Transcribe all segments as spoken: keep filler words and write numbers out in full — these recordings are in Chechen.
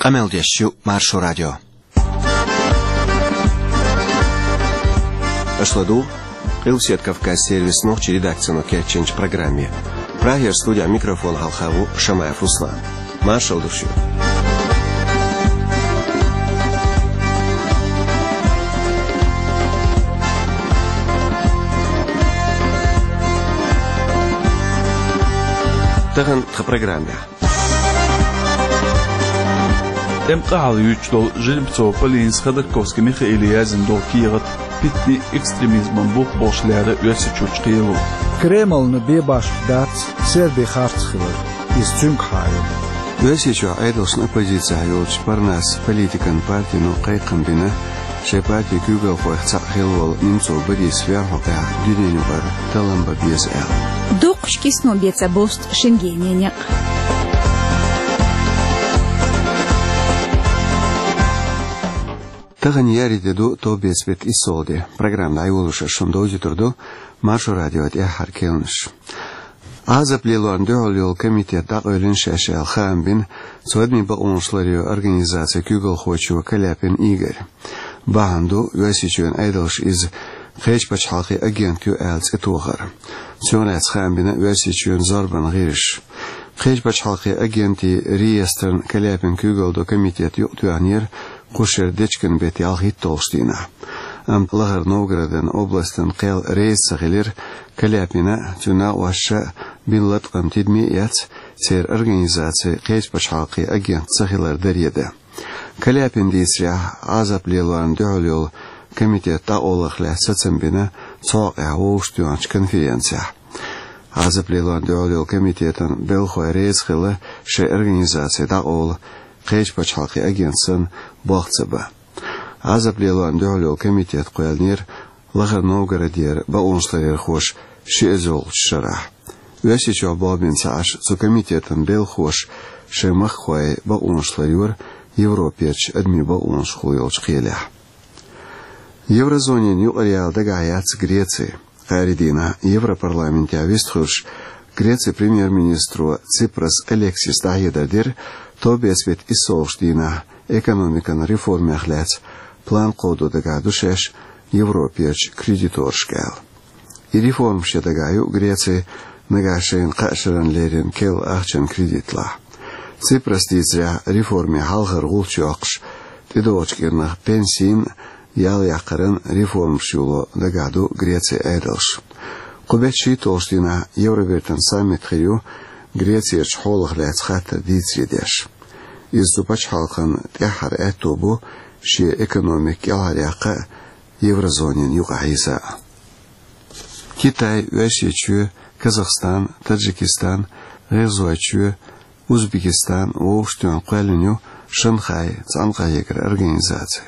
Къамел деш ю Маршо радио. Аша ладугӀу Къилбаседа Кавказан сервисан нохчийн редакцино кечйинчу программе. Прагера студехь микрофон хьалха ву Шамаев Руслан. Маршалла ду шуьга. Тахана тхан программехь. ТӀеман къахьалла юьйцуш долу Жеребцова Полинас Ходорковский Михаиле яздина долу кехат питанийн экстремизман бух болуш лерина Оьрсийчуьрчу кхело. Кремльна бебашха дац Серби харц хилар. Иза цуьнгахьа ю. Оьрсийчохь Ӏедалшна оппозицехь йолчу Парнас политикан партино кхайкхам бина, шайн партин куьйгалхойх цхьаъ хилла волу Немцов Борис верхӀо кхехь дуьненаюкъара таллам бан беза аьлла. Дукхачу кисано бен ца бусту Шенгенан некъ. Тахана еарин де ду, товбеца беттан иссалгӀа де. Программа дӀайолош ас шуна довзуьйтур ду Маршо радион тӀаьххьара керланаш. Ӏазап лелорна дуьхьал йолу комитет дӀакъевлина шаьш аьлла хаам бина цу адамийн бакъонаш ларъяран организацин куьйгалхочо Каляпин Игорь. Бахьана ду, Оьрсийчоьнан Ӏедалша иза кхечу пачхьалкхийн агент ю аьлла цӀе тохар. Цунах лаьцна хаам бина Оьрсийчоьнан зорбанан гӀирсаша. Кхечу пачхьалкхийн агентийн реестран Каляпин куьйгалла долу комитет юкъатоьхнера кху шеран дечкен беттан ялхитталгӀачу дийнахь. Амма Лахара Новгородан областан кхел реза ца хилира Каляпина а, цуьнан накъосташа а бина латкъам тидаме а эцна, церан организаци кхечу пачхьалкхийн агент ца хилар даре дан. Каляпина дийцарехь, Ӏазап лелорна дуьхьал йолу комитет дӀакъовларх лаьцна сацам бина цхьа хьокъехь вовшахтоьхначу конференцехь. Ӏазап лелорна дуьхьал йолу комитетан белхалой реза хилла шайн организаци дӀакъовла кхечу пачхьалкхийн агент санна болх ца бан. Ӏазап лелорна дуьхьал йолу комитет кхоьллинера Лахара Новгородера бакъонашларъярхоша ши эзарлагӀчу шарахь. Оьрсийчохь болх бина ца Ӏаш, цу комитетан белхалоша шайн махкахой бакъонаш ларйора Европерчу адамийн бакъонашкахула йолчу кхелехь. Еврозонин юкъараяла дагахь яц Греци. Кхаарин дийнахь Европарламентехь вистхуьлуш, Грецин премьер-министро Ципрас Алексиса дӀахьедар дира товбеца беттан иссалгӀачу дийнахь экономикан реформех лаьцна план кховдо дагахь ду шаьш Европерчу кредиторашка аьлла. И реформаш ян дагахь ю Греци нагахь шайна кхаа шарна леррина керла ахчанан кредитлахь. Ципраса дийцарехь, реформийн хьалхара гӀулч йоккхуш, тӀедогӀучу кӀирнах пенсийн а, ял яккхаран реформаш юло дагахь ду Грецин Ӏедалш. Кху беттан шийтталгӀачу дийнахь Евробертан саммит хир ю, Грецерчу хьолах лаьцна хаттар дийцаре деш. Иза цу пачхьалкхан тӀаьххьара аьтто бу шен экономика кӀелхьаръяккха а, еврозонин юкъахь йиза а. Китай, Оьрсийчоь, Казахстан, Таджикистан, ГӀиргӀазойчоь, Узбекистан вовшахтоьхна кхоьллина ю Шанхай цӀанкъахьегаран организаци.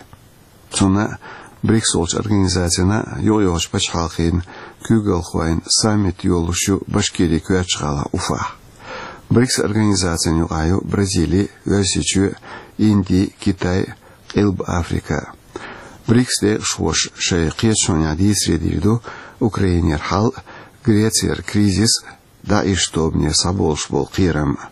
Цунна а, БРИКС олучу организацина а юкъайогӀучу пачхьалкхийн куьйгалхойн саммит йолуш ю Башкирин коьртачу гӀалахь Уфахь. БРИКС организацин юкъахь ю Бразили, Оьрсийчоь, Инди, Китай, Къилба Африка. БРИКС декъашхоша шайн кхеташонехь дийцаре дийр ду Украинера хьал а, Грецера кризис а, ДАИШ тобанера схьаболуш болу кхерам а.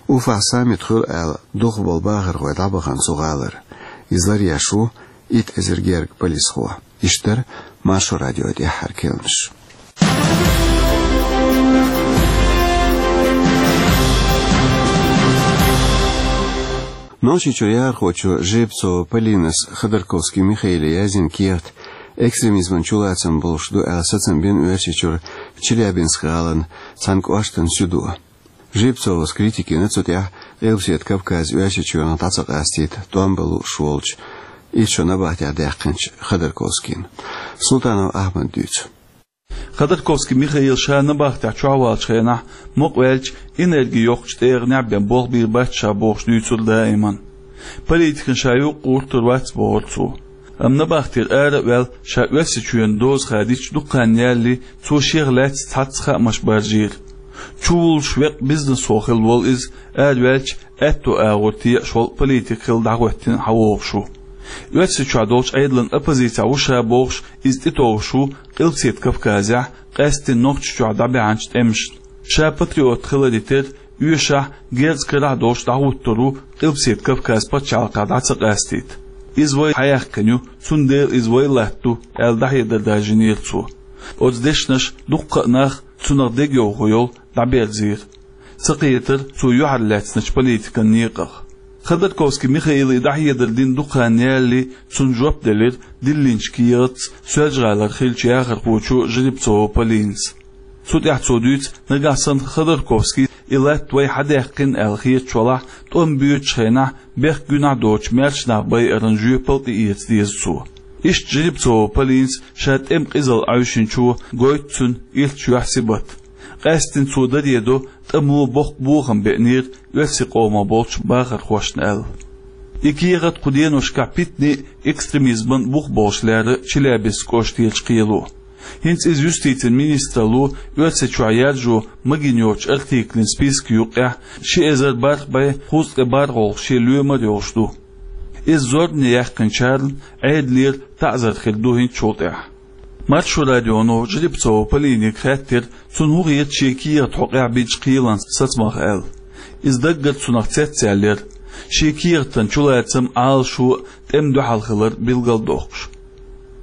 Уфахь саммит хуьлу аьлла духу болу бахархой дӀабахана цу гӀалара. Иза ларъеш ву итт эзар гергга полисхо. Иштта дара Маршо радион тӀаьххьара керланаш. Нохчийчуьра яхархочо Жеребцова Полинас Ходорковский Михаиле яздина кехат экстремизман чулацам болуш ду аьлла сацам бина Оьрсийчуьра Челябинск гӀалин цхьана кӀоштан суьдо. Жеребцовас критика йина цу тӀехь Къилбаседа Кавказе Оьрсийчоьнах дӀа ца къастийта тӀом бан лууш волчу, итт шо набахтехь даьккхинчу Ходорковскийна. Султанов Ахьмада дуьйцу. Ходорковский Михаила ша набахтехь чохь валлачу хенахь, мукъаваьлча, энерги йоккхучу тӀегӀанехь бен болх бийр бац ша бохуш дуьйцура даиман. Политикана ша юкъа гӀуртур вац бохура цо. Амма набахтера ара а ваьлла, ша Оьрсийчоьнан доза хадийча дукха хан ялале, цо шех лаьцна цхьацца хаамаш баржийра. Чувуллуш веккъа бизнесхо хилла волу иза, араваьлча, аьтту агӀор текъаш волу политик хилла дӀахӀоьттина схьавогӀуш ву. Оьрсийчохь долчу Ӏедалан оппозицехь ву ша бохуш, иза тӀетовжуш ву Къилбаседа Кавказехь, къаьсттина Нохчийчохь дӀабаьхьначу тӀемашна. Ша патриот хиларе терра, оьшахь, герз карахь долуш дӀахӀуттур ву Къилбаседа Кавказ пачхьалкхехь дӀа ца къастийта. Иза вай хьаяьккхина ю, цундела иза вай латта ду, аьлла дӀахьедар даржийнера цо. Оцу дешнаша дуккха а нах, цунах дегайовхо йолу, дӀаберзийра. Ца кхетара цо юьхьарлаьцначу политикан некъах. Ходорковский Михаила и дӀахьедар дина дукха хан ялале, цунна жоп делира диллинчу кехатца Соьлжа-ГӀалара хиллачу яхархочо Жеребцова Полинас. Цу тӀехь цо дуьйцу, нагахь санна Ходорковский и латта вай хьадаьккхина аьлла хеташ валахь, тӀом боьдучу хенахь бехк-гуьнахь доцучу маьрша нах байаран жоьпалла тӀеэца деза цо. Иштта Жеребцова Полинас ша тӀеман къизалла Ӏаьвшинчо гойту цуьнан ирча юьхь Сибат. Къаьсттина цо даре до, тӀамо боккха бохам беънера оьрсийн къомах болчу бахархошна аьлла. И кехат кху деношкахь питане а экстремизман бух болуш лерира Челябинск кӀоштерчу кхело. ХӀинца иза юстицин министралло Оьрсийчохь яржо магийна йоцучу артиклан списка юккъехь ши эзар бархӀ бӀе кхузткъе бархӀалгӀа шен лоьмар а йолуш ду. Иза зорбане яьккхинчарна Ӏедалера таӀзар хир ду хӀинцачул тӀаьхьа. Маршо радионо Жеребцова Полинега хаьттира, цунна хӀун хета шен кехат хьокъехь бинчу кхелан сацамах аьлла. Иза даггара цунах цецъяьллера. Шен кехатан чулацам, Ӏалашо а тӀеман дуьхьал хилар билгалдоккхуш.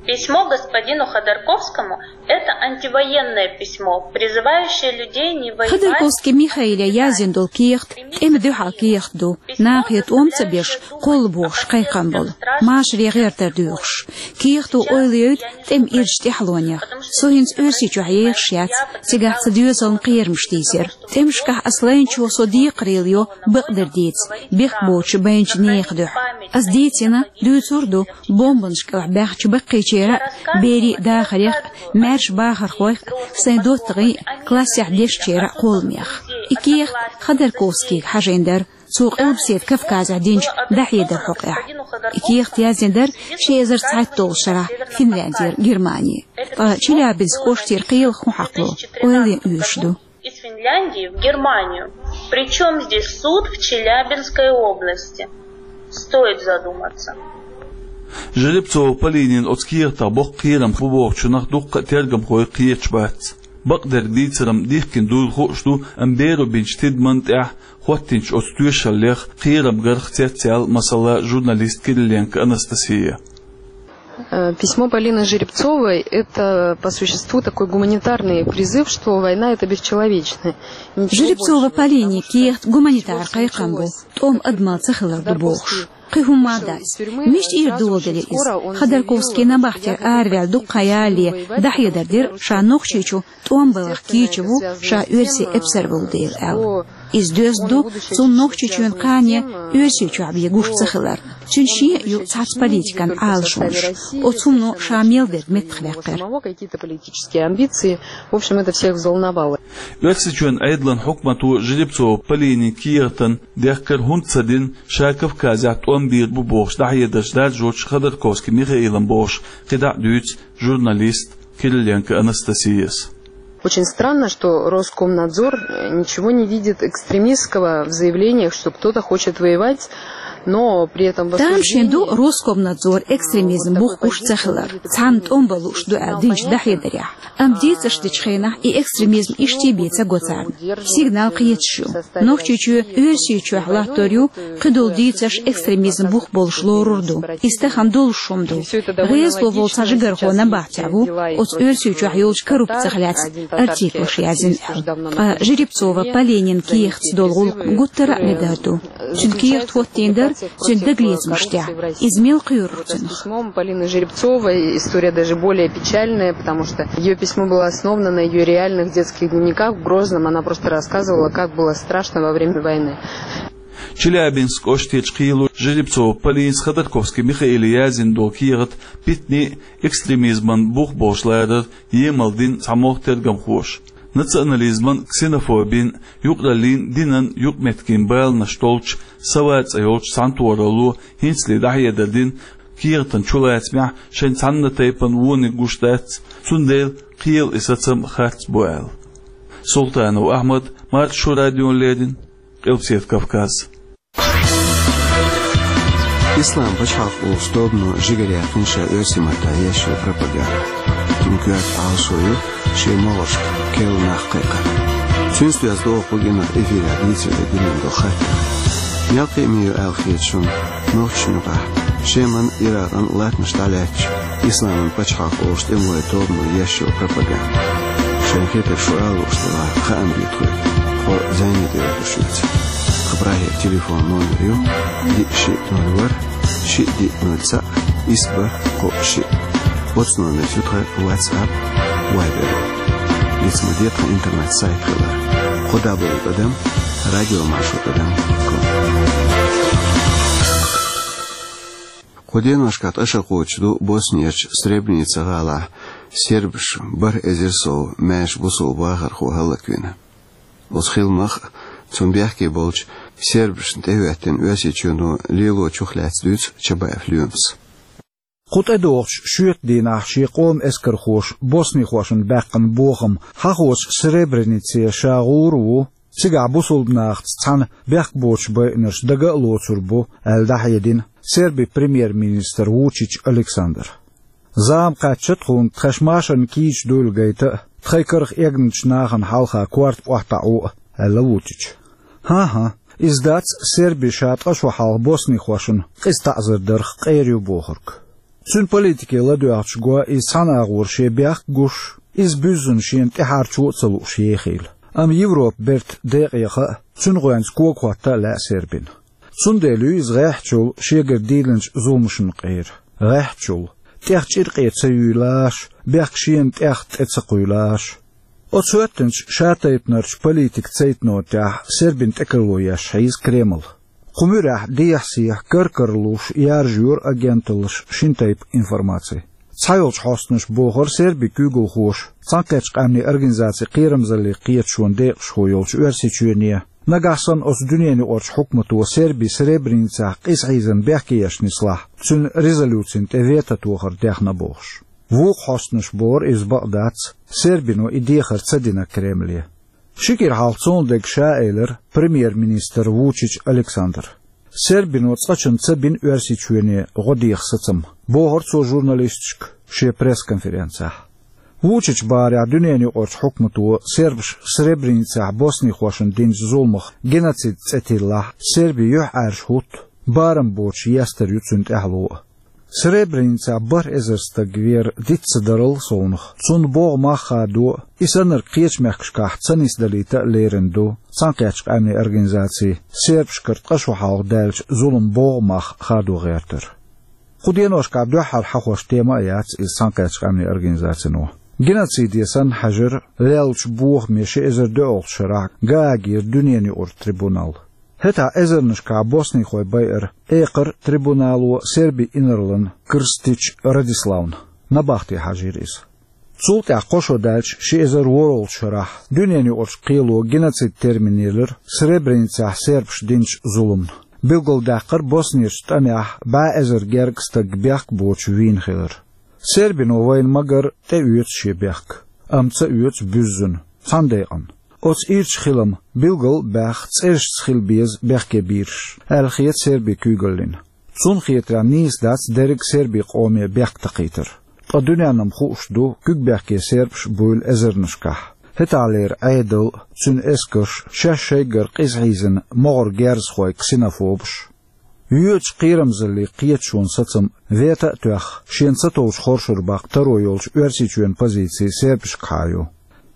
Письмо господину Ходорковскому — это антивоенное письмо, призывающее людей не воевать. Ходорковский Михаила яздина долу кехат тӀеман дуьхьал кехат ду, нахе тӀом ца беш, кхоллабохуш кхайкхам болу, машаре гӀертар доьхуш. Кехато ойла йойту тӀеман ирча тӀаьхьалонех. Со хӀинца Оьрсийчохь ехаш яц, цигахь цхьа доьзална кхерамаш дийзира. ТӀемашкахь ас лайначо со декхарийлахь йо бакъдерг дийца, бехк боцуш байначу нехан дуьхьа. Ас дийцина, дуьйцур а ду, бомбанаш кӀелахь баьхначу баккхийчеран а, берийн а дахарх а, маьрша бахархойх а, сайн доттагӀийн а, классехь дешначеран а кхолламех. И кехат Ходорковскийга хьажийна дара, цо Къилбаседа Кавказехь динчу дӀахьедар хьокъехь. И кехат яздина дара ши эзар цхьайтталгӀачу шарахь Финляндера Германи. Ткъа Челябинск кӀоштера кхелах хӀун хьакхало, ойла йина оьшуш ду. Из Финляндии в Германию. Причём здесь суд в Челябинской области? Стоит задуматься. Жеребцова Полинин оцу кехатах боккха кхерам бу бохучунах дуккха а тергамхой кхеташ бац. Бакъдерг дийцаран дихкина дуйла хууш ду, амма беро бинчу тидамна тӀехь хӀоттийначу оцу тоьшаллех кхерам гарх цецъяьлла, масала, журналист Кириленко Анастасия. Э, письмо Полины Жеребцовой — это, по существу, такой гуманитарный призыв, что война — это бесчеловечное. Жеребцова Полинин кехат гуманитар кхайкхам бу, тӀом адамалла ца хилар ду бохуш. Кхин хӀумма а дац. Мича тӀера доладелира иза? Ходорковский набахтера араваьлла дуккха хан ялале дӀахьедар дира, ша Нохчийчу тӀом баларх кийча ву, ша оьрсийн эпсар волу дела аьлла. Иза доьзна ду, цунна Нохчийчоьнан кхане Оьрсийчохь бен гуш ца хилар. Цуьнан шен а ю цхьацца политикан Ӏалашонаш. Оцу хӀумано ша мел дерг меттахваьккхира. Оьрсийчоьнан Ӏедалан хьукмато Жеребцова Полинин кехатан дехкар хӀунда ца дина, ша Кавказехь тӀом бийр бу бохуш дӀахьедарш даржочу Ходорковский Михаилан бохуш, кхидӀа а дуьйцу журналист Кириленко Анастасияс. Очень странно, что Роскомнадзор, э, ничего не видит экстремистского в заявлениях, что кто-то хочет воевать, но при этом в... Тамашийна ду Роскомнадзор экстремизм бух гуш ца хилар, цхьанна тӀом бан лууш ду аьлла динчу дӀахьедарехь. Амма дийцарш дечу хенахь и экстремизм иштта бен ца го царна. Сигнал кхеташ ю. Нохчийчоь Оьрсийчохь латтор ю, кхидолу дийцарш экстремизм бух болуш лорур ду. Иза тахана долуш хӀума ду. ГӀезало волу цхьа жигархо набахтехь ву, оцу Оьрсийчохь йолчу коррупцих лаьцна артиклаш яздина аьлла. Ткъа Жеребцова Полинин кехатца долу гӀуллакх гуттара а медар ду. Цуьнан кехат хӀоттийна дара цуьнан дагалецамаш тӀехь. Иза мел кхоьрура цунах? Письмом Полины Жеребцовой история даже более печальная, потому что её письмо было основано на её реальных детских дневниках в Грозном. Она просто рассказывала, как было страшно во время войны. Челябинск кӀоштарчу кхело Жеребцова Полинас Ходорковский Михаила яздина долу кехат питане а, экстремизман бух болуш ларар емал дина цхьамогӀа тергамхоша. Национализман, ксенофобин, юкъараллин, динан юкъаметтиган баланаш долчу «Сова» цӀе йолчу цхьаьнатохаралло хӀинцале дӀахьедар дина, кехатан чулацамехь шайн цхьана тайпана вониг гуш дац, цундела кхелан и сацам харц бу аьлла. Султанов Ахьмад, Маршо радиона леррина, Къилбаседа Кавказ. Ислам пачхьалкх олучу тобано жигара яьккхина ша оьрсийн маттахь еш йолу пропаганда. Цуьнан коьрта Ӏалашо ю шен могӀаршка керла нах кхайкхар. Цуьнца доьзна догӀу кху кӀиранах эфирехь дийцаре динан до хаттар. Мел кхиаме ю аьлла хета шуна нохчашна юкъахь Шеман, Иракъан латтанаш дӀалаьцча, исламан пачхьалкх олуш тӀемалойн тобано еш йолу пропаганда. Шайн хетарг шу ала лууш делахь, хаам бе тхоьга, тхо зӀене тӀе оьхуш юьйцу. Тхан прагера телефон номер ю: диъ шиъ ноль ворхӀ, шиъ диъ ноль цхьаъ, исс бархӀ кхоъ шиъ. Оцу номерца ю тхан WhatsApp, Viber. Иштта ма де тхан интернет-сайт хилар: кхо дабл-ю тӀадам радиомаршо тӀадам ком. Кху деношкахь ткъа шо кхочуш ду Боснерчу Сребреница гӀалахь сербаш бархӀ эзар сов маьрша бусалба вахархо хӀаллаквина. Оцу хиламах а, цунна бехке болчу сербашна тӀехӀоьттина Оьрсийчоьно лелочух лаьцна дуьйцу Чабаев Лоьмас. Кху тӀедогӀучу шоьтан дийнахь шен къоман эскархоша боснихошна баьккхина бохам хьахочу Сребренице ша гӀур а ву, цигахь бусалба нахаца цхьаьна бехк боцуш байинарш дага а лоцур бу, аьлла дӀахьедина Сербин премьер-министр Вучич Александра. Зама кхаьчча тхуна тхаьш машарна кийча дуйла гайта а, тхайн карах эгначу нахана хьалха корта охьатаӀо а, аьлла Вучича. ХӀан-хӀа, иза дац Серби ша ткъа шо хьалха боснихошна къиза таӀзар дарх къера ю бохург. Цуьнан политике ладоьгӀча го иза цхьана агӀор шен бехк а гуш, иза буьззина шена тӀаьхьарчо а ца лууш ехийла. Амма Европа бертан декъе яха а, цуьнан гӀоьнца кога хӀотта а лаьа Сербина. Цундела ю иза гӀеххьачул шегара дийлинчу зуламашна къера. ГӀеххьачул. ТӀех чӀиркъе ца юьйлаш, бехк шена тӀех тӀе ца кхуьйлаш. Оцу хӀоьттинчу шатайпанарчу политикан цейтано тӀехь Сербина тӀекарло еш хьийза Кремль. Кху муьрехь дехьа-сехьа кар-кара луш яржайора агенталлаша шина тайпа информаци. Цхьайолчу хьостанаша бохура Сербин куьйгалхоша Цхьаьнакхеттачу Къаьмнийн Организацин кхерамзаллин кхеташонан декъашхо йолчу Оьрсийчоьне, нагахь санна оцу дуьненаюкъарчу хьукмато Серби Сребреницехь къиза хьийзарна бехке еш нислахь, цуьнан резолюцина тӀе вето тохар дехна бохуш. Вукху хьостанаша бохура иза бакъ дац, Сербино и дехар ца дина Кремле. Ши кӀира хьалха цунна дерг ша элира премьер-министр Вучич Александра. Сербино цкъачунна ца бина Оьрсийчоьне гӀо деха сацам, бохура цо журналисташка шен пресс-конференцехь. Вучича бахарехь дуьненаюкъарчу хьукмато сербаш Сребреницехь боснихошна динчу зуламах геноцид цӀе тиллахь, Серби юьхьӀаьржа хӀутту, барам боцуш естар ю цуьнан тӀаьхьало а. Сребреницехь бархӀ эзар стаг вер диц ца дарал совнах, цунна богӀу мах хадо а, и саннарг кхечу мехкашкахь ца нисдалийта а лерина ду Цхьаьнакхеттачу Къаьмнийн Организаци сербашкара ткъа шо хьалха даьллачу зуламан богӀу мах хадо гӀертар. Кху деношкахь дуьххьара хьахош тема а яц иза Цхьаьнакхеттачу Къаьмнийн Организацино. Геноциде санна хьаьжира леллачу бохаме ши эзар доьалгӀачу шарахь Гаагера дуьненаюкъара трибунал. ХӀетахь эзарнашкахь боснихой байара экхар трибунало Сербин инарлан Крстич Радиславна, набахте хьажийра иза. Цул тӀаьхьа кхо шо даьлча ши эзар ворхӀалгӀачу шарахь дуьненаюкъарчу кхело геноцид термин елира Сребреницехь сербаша динчу зуламна. Билгалдаьккхира Боснерчу тӀамехь бӀе эзар гергга стаг бехк боцуш вийна хилар. Сербино вайна ма-гарра тӀеоьцу шен бехк, амма ца оьцу буьззина, цхьана декъана. Оцу ирчу хилам билгал а баьхна цӀерашца хила беза бехке бийраш, аьлла хета Сербин куьйгаллина. Цунна хетарехь нийса дац дерриг а сербийн къоме бехк такхийтар. Ткъа дуьненна-м хууш ду, куьг бехке сербаш буйла эзарнашкахь. ХӀетахьлера Ӏедал а, цуьнан эскарш а, шаьш шайгара къиза хьийзина могӀара герзахой, ксенофобаш. Йоьдучу кхерамзаллин кхеташонан сацам вето а тоьхна, шена ца товчу хоршур баккха таро йолчу Оьрсийчоьнан позици сербашкахьа ю.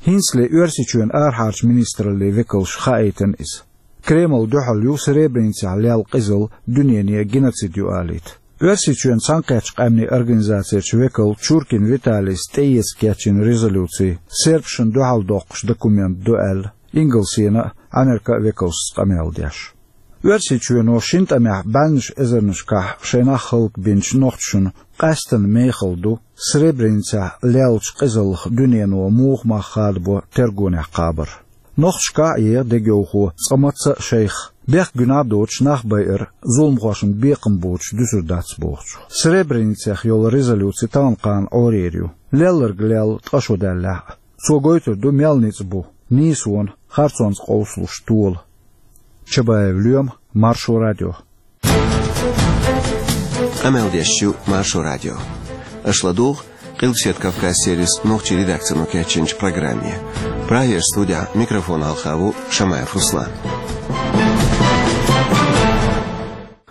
ХӀинцале Оьрсийчоьнан арахьарчу министраллин векалша хаийтина иза. Кремль дуьхьал ю Сребреницехь лелла къизалла дуьнене геноцид ю алийта. Оьрсийчоьнан Цхьаьнакхеттачу Къаьмнийн Организацерчу векало Чуркин Виталийс тӀеэца кечйина резолюци сербашна дуьхьал доккхуш документ ду аьлла, Ингалсена а, Америка а векалшца къамел деш. Оьрсийчоьно шина тӀамехь бӀеннаш эзарнашкахь шайн нах хӀаллакбинчу нохчашна къаьсттина мехала ду Сребреницехь леллачу къизаллах дуьнено муха мах хадабо тергонехь кхабар. Нохчашкахь а еха дегайовхо цкъа мацца а шайх, бехк гуьнахь а доцуш нах байар зуламхошна бекхам боцуш дуьсур дац бохучух. Сребреницех йолу резолюци тахана-кхана Ӏорера ю, лелларг лелла ткъа шо даьллехь а. Цо гойтур ду мел ницкъ бу нийсонан, харцонца къовсалуш тола. Чабаев Лоьма, Маршо радио. Къамел деш ю Маршо радио. Аша ладугӀу Къилбаседа Кавказ сервисан нохчийн редакцино кечйинчу программе. Прагера студехь микрофон хьалха ву Шамаев Руслан.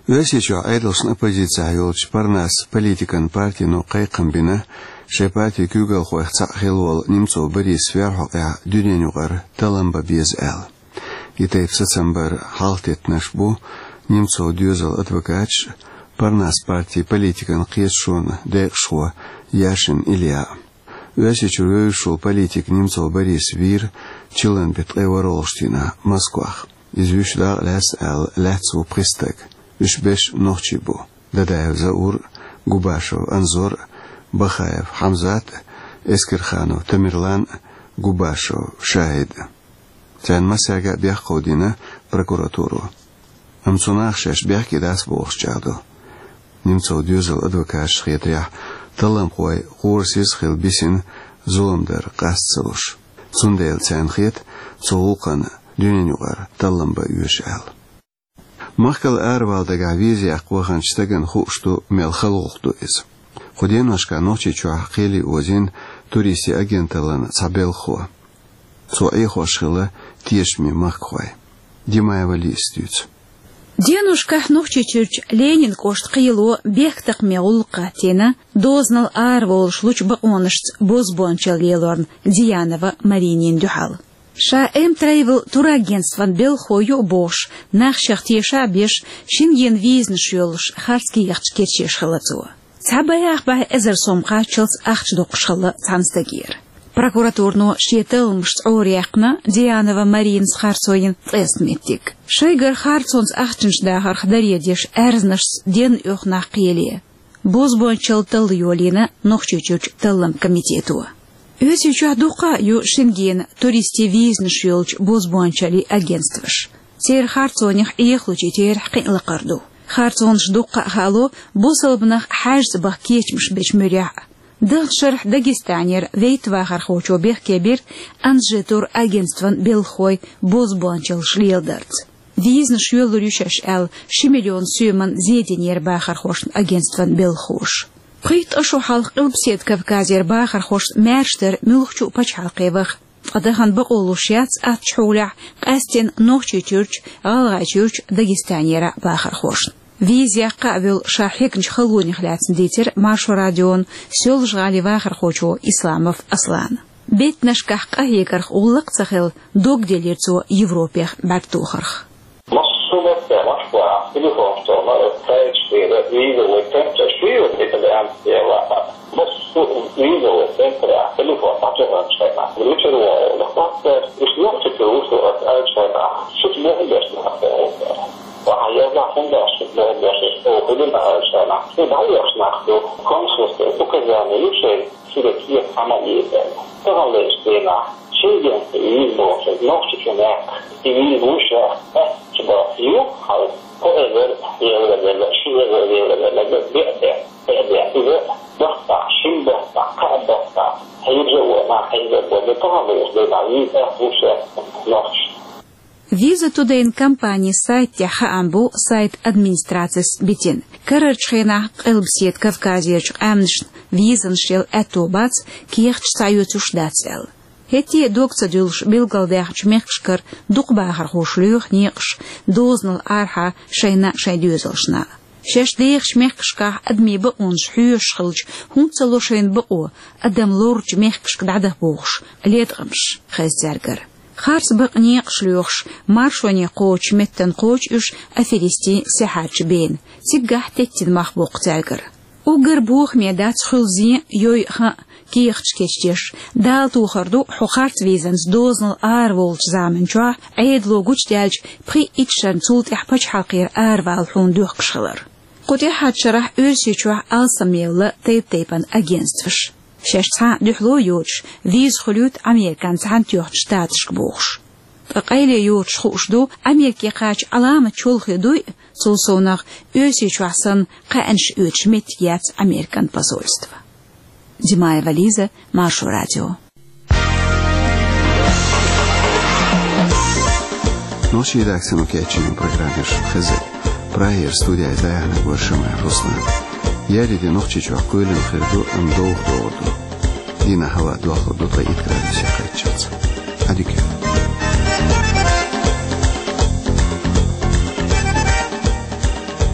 Оьрсийчохь Ӏедалшна оппозицехь йолчу Парнас политикан партино кхайкхам бина, шайн партин куьйгалхойх цхьаъ хилла волу Немцов Борис верхьокъехь дуьненан юкъара таллам бан беза аьлла. И тайпа сацам бар хьалхатеттинарш бу Немцов доьзалан адвокаташ а, Парнас партин политикан кхеташонан декъашхо Яшин Илья а. Оьрсийчуьра вевзаш волу политик Немцов Борис вийра чиллан беттан ткъе ворхӀалгӀачу дийнахь Москвахь. Иза вуьш дакъа лаьцна аьлла, лаьцна ву пхи стаг. Уьш берш нохчий бу: Дадаев Заур, Губашев Анзор, Бахаев Хьамзат, Эскерханов Тамерлан, Губашев ШахӀид. Царна массаьрга а бехк кховдийна прокуратуро. Амма цу наха шаьш бехке дац бохуш чӀагӀдо. Немцов доьзалан адвокаташна хетарехь, талламхой хӀора сиз хилла бисина зулам дар къаста ца луш. Цундела царна хета цу гӀуллакхана дуьненан юкъара таллам бан оьшу аьлла. Махкал аравала дагахь виза яккха ваханчу стагана хууш ду, мел хала гӀуллакх ду иза. Кху деношкахь Нохчийчохь кхеле озийна туристийн агенталлин цхьа белхахо. Цо Ӏехош хилла тешаме махкахой. Димаева Лизас дуьйцу. Деношкахь Нохчийчуьрчу Ленинан кӀоштан кхело бехктакхаман гӀуллакх хӀоттийна дозанал араволуш лучу бакъонашца бозбуунчалла лелорна Дианова Маринина дуьхьал. Ша М-Travel турагентстван белхахо ю а бохуш, нах шех теша а беш, Шенгенан визанаш йолуш харц кехаташ кечъеш хилла цо. Цхьа бӀе-бӀе эзар сом кхаччалц ахча доккхуш хилла цхьана стагера. Прокуратурано шен талламашца Ӏораяьккхина Дианова Маринас харцо йина ткъеста меттиг. Шайгара харцонца ахчанаш дахарх даре деш аьрзнашца денна оьху нах кхеле. Бозбуунчалла талла йолийна Нохчийчуьрчу талламан комитето. Оьрсийчохь дуккха а ю Шенгенан туристийн визанаш йолчу бозбуунчаллин агентстваш. Церан харцонех Ӏехалучийн терахь кхин а лакхара ду. Харцонаш дуккха а хаало бусалба нах хьаьжцӀа баха кечамаш бечу муьрехь а. Даханчу шарахь Дагестанера вейтта вахархочо бехке бира Анжи турагентстван белхахой бозбуунчаллаш леладарца. Визанаш йоьллур ю шаьш аьлла, ши миллион соьман зе динера бахархошна агентстван белхахоша. Пхийтта шо хьалха Къилбаседа Кавказера бахархошна маьрша дара муьлххачу а пачхьалкхе ваха, ткъа дахана бакъо луш яц аттачу хьолехь къаьсттина Нохчийчуьрчу, ГӀалгӀайчуьрчу, Дагестанера бахархошна. Виза яккха а волу ша хьегначу халонех лаьцна дийцира Маршо радиона Соьлжа-ГӀалин вахархочо Исламов Аслана. Беттанашкахь къахьегарх гӀуллакх а ца хилла, дог делира цо Европех бӀаьрг тохарх. Массо а баттахь Москвахь телефон столна, сайт шуьйра, визовый центр шуьйра, это прям дело. Массо а визовый центр телефон дӀатухучу хенахь, мичара вогӀу, лакхахь, уьш нохчи чу вуьсу аса аьллачу хенахь, шуьца бохам беш нах боху. Ваха, я знаю, хӀунда аьлча шуьца бохам беш, оха хилина аьллачу хенахь, шу дӀайоьхуш нах ду, консульство, указание ю шайн. Шуьга кхета хӀума еза. Таханлерчу дийнахь Шенгенца виза бохуш, Нохчийчу мехкан и виза луш, аьттачу бахьа ю, хьал кхо эзар евро делла, ши эзар евро делла, беа де, беа де. Иза бахтахь, шин бахтахь, кхаа бахтахь, хьежа а вона, хьежа а вона, таханлерчу дийнахь виза луш Нохчийчу. Visa Today-н компанин сайта тӀехь хаам бу сайт администрацис битина. Карарчу хенахь Къилбаседа Кавказерчу къаьмнашна визанаш яла аьтто бац, кехаташ схьаоьцуш дац аьлла. ХӀетте а дог ца дуьллуш билгалдаьхначу мехкашкара дукха бахархоша лоьху некъаш дозанал арахьа шайна а, шайн доьзалшна а. Шаьш дехачу мехкашкахь адамийн бакъонаш хьоьшуш хилча, хӀунда ца ло шайна бакъо адам лоручу мехкашка дӀадаха бохуш леткъамаш хеза цаьргара. Харц бакъ некъаш лоьхуш, маршоне кхочучу меттана кхочу уьш аферистийн сехьарчу бена. Циггахь теттина мах боккху цаьргара. Уггар бохаме дац хуьлу зен, йой, хан а, кехаташ кечдеш. Дала тохар ду, хьо харц визанца дозанал араволучу заманчохь Ӏедало гучудаьллачу пхи итт шарна цул тӀаьхьа пачхьалкхера аравала хьуна доьхкуш хилар. Кху тӀаьххьарчу шарахь Оьрсийчохь алсамъелла тайп-тайпана агентстваш. Шаьш цхьа а дуьхьало йоцуш, виза хуьлуьйту Американ Цхьаьнатоьхначу Штаташка бохуш. Ткъа къайле йоцуш хууш ду, Америке кхача Ӏаламат чолхе дуй а, цул совнах Оьрсийчохь санна кхаьънаш оьцуш меттиг яц Американ посольство. Димаева Лиза, Маршо радио. Нохчийн редакцино кечйина программа хезира. Прагера студехь дӀаяьхьнарг вара Шамаев Руслан. Еарин де Нохчийчохь кхоьлина хир ду, амма довха догӀур ду. Дийнахь хӀаваъ дохлур ду ткъе итт градусе кхаччалц. adică.